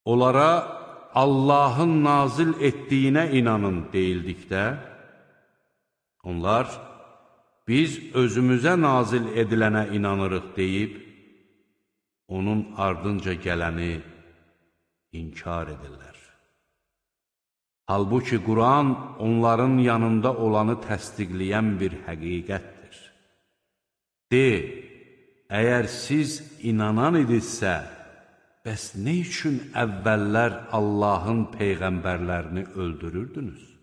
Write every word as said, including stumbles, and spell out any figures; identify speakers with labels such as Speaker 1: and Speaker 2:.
Speaker 1: Onlara Allahın nazil etdiyinə inanın deyildikdə, onlar, biz özümüzə nazil edilənə inanırıq deyib, onun ardınca gələni inkar edirlər. Halbuki Quran onların yanında olanı təsdiqləyən bir həqiqətdir. De, əgər siz inanan idinizsə, bəs nə üçün əvvəllər Allahın peyğəmbərlərini öldürürdünüz?